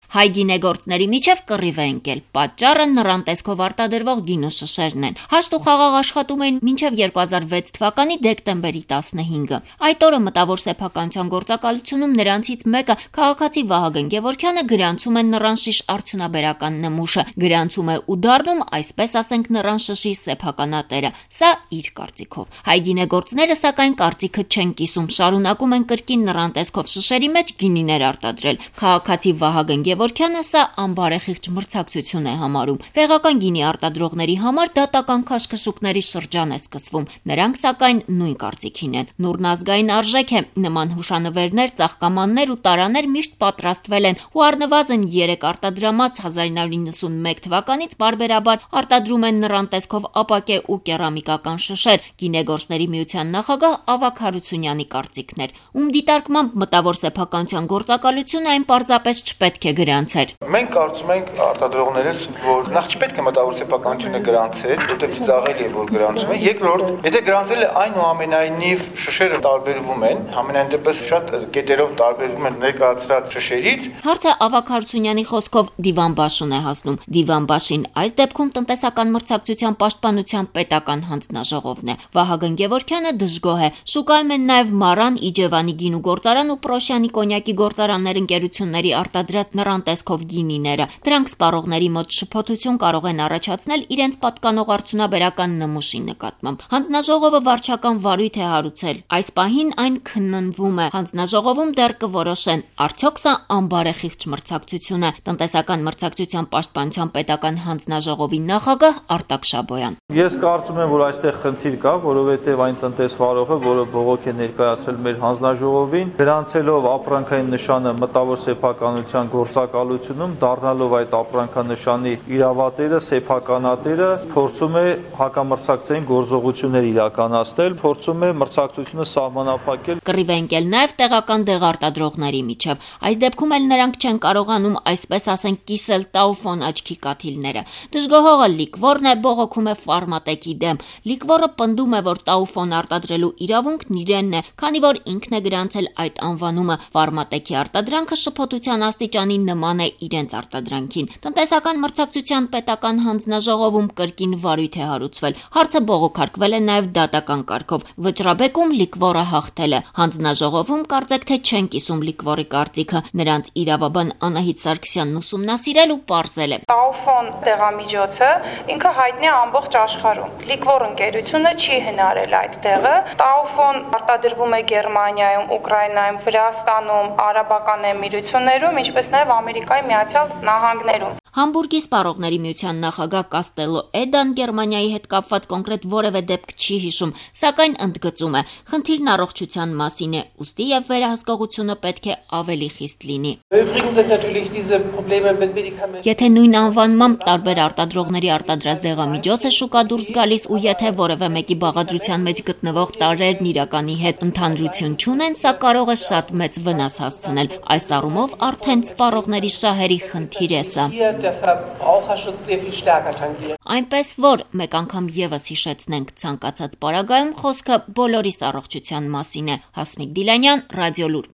Հայ գինեգործների միջև կռիվ է ընկել, պատճառը նրան տեսքով արտադրվող գինու շշերն են։ Հաշտ ու խաղաղ աշխատում էին մինչև 2006 թվականի դեկտեմբերի 15-ը։ Այդ օրը մտավոր սեփականության գործակալությունում նրանցից մեկը, քաղաքացի Վահագն Գևորգյանը, գրանցում է նրան շիշ արդյունաբերական նմուշը, գրանցում է ու դառնում, այսպես ասենք, նրան շշի սեփականատերը։ Սա իր կարծիքով։ Հայ գինեգործները սակայն կարծիքը չեն կիսում, շարունակում են կրկին նրան տեսքով շշերի մեջ գինիներ արտադրել։ Քաղաքացի Վահագն Գևորգյանը սա անբարեխիղճ մրցակցություն է համարում։ Տեղական գինի արտադրողների համար դատական քաշքշուկների շրջան է սկսվում։ Նրանք սակայն նույն կարծիքին են։ Նուրն ազգային արժեք է, նման հուշանվերներ, ծաղկամաններ ու տարաներ միշտ պատրաստվել են ու առնվազն 3 արտադրամաս 1991 թվականից բարբերաբար արտադրում են նրան տեսքով ապակե ու կերամիկական շշեր։ Գինեգործների միության նախագահ Ավագ Հարությունյանի կարծիքն էր, ում դիտարկմամբ մտավոր սեփականության գործակալությունը այն պարզապես չպետք է գրանցեր։ Մենք կարծում ենք արտադրողներս, որ նախ չպետք է մտավոր սեփականությունը գրանցել, որտեղ ծաղել է, որ գրանցում է։ Երկրորդ, եթե գրանցել է, այնուամենայնիվ շշերը տարբերվում են, համենայն դեպս շատ կետերով տարբերվում են ներկայացրած շշերից։ Հարցը Ավագ Հարությունյանի խոսքով Դիվանբաշուն է հասնում։ Դիվանբաշին այս դեպքում տնտեսական մրցակցության պաշտպանության պետական հանձնաժողովն է։ Վահագն Գևորգյանը դժգոհ է։ Շուկայում են նաև Մարան, Իջևանի գինու գործարան ու Պրոշյանի կոնյակի գործարաններ ընկերությունների արտադրած նրան տեսքով գինիները։ Դրանք սպառողների մոտ շփոթություն կարող են առաջացնել իրենց պատկանող արդյունաբերական նմուշի նկատմամբ։ Հանձնաժողովը վարչական վարույթ է հարուցել։ Այս պահին այն քննվում է։ Հանձնաժողովում դեռ կորոշեն, արդյոք սա անբարեխիղճ մրցակցություն է։ Տնտեսական մրցակցության պաշտպանության պետական հանձնաժողովի նախագահ Արտակ Շաբոյան։ Ես կարծում եմ, որ այստեղ խնդիր կա, որովհետև այն տնտեսվարողը, որը բողոք է ներկայացրել մեր հանձնաժողովին, գրանցելով ապրանքային նշանը մտավոր սեփականության գործակալությունում, դառնալով այդ ապրանքանշանի իրավատերը, սեփականատերը, փորձում է հակամրցակցային գործողություններ իրականացնել, փորձում է մրցակցությունը սահմանափակել։ Կռիվ է ընկել նաև տեղական դեղարտադրողների միջև։ Այս դեպքում էլ նրանք չեն կարողանում, այսպես ասենք, կիսել Տաուֆոն աչքի կաթիլները։ Դժգոհողը լիկվորն է, բողոքում է Ֆարմատեկի դեմ։ Լիկվորը պնդում է, որ Տաուֆոն արտադրելու իրավունքն իրենն է, քանի որ ինքն է գրանցել այդ անվանումը։ Ֆարմատեկի արտադրանքը շփոթության աստիճանի նման է իրենց արտադրանքին։ Տնտեսական մրցակցության պետական հանձնաժողովում կրկին վարույթ է հարուցվել։ Հարցը բողոքարկվել է նաև դատական կարգով։ Վճռաբեկում լիկվորը հաղթել է։ Հանձնաժողովում կարծեք թե չեն կիսում լիկվորի կարծիքը։ Նրանց իրավաբան Անահիտ Սարգսյանն ուսումնասիրել ու պարզել է։ Տաուֆոն դեղամիջոցը ինքը հայտնի է ամբողջ աշխարհում։ Լիկվոր ընկերությունը չի հնարել այդ դեղը։ Տաուֆոն արտադրվում է Գերմանիայում, Ուկրաինայում, Վրաստանում, Արաբական Էմիրություններում, ինչպես նաև Ամերիկայի Միացյալ Նահանգներում։ Համբուրգի սպառողների միության նախագահ Կաստելո Էդան Գերմանիայի հետ կապված կոնկրետ որևէ դեպք չի հիշում, սակայն ընդգծում է, խնդիրն առողջության մասին է, ուստի եւ վերահսկողությունը պետք է ավելի խիստ լինի։ Եթե նույն անվանմամբ տարբեր արտադրողների արտադրած դեղամիջոց է շուկա դուրս գալիս ու եթե որևէ մեկի բաղադրության մեջ գտնվող տարրերն իրականի հետ ընդհանրություն չունեն, սա կարող է շատ մեծ վնաս հասցնել։ Այս առումով արդեն սպառողների շահերի խնդիր է սա։ Այնպես որ մեկ անգամ եւս հիշեցնենք, ցանկացած պարագայում խոսքը բոլորիս առողջության մասին է։ Հասմիկ Դիլանյան, Ռադիոլուր։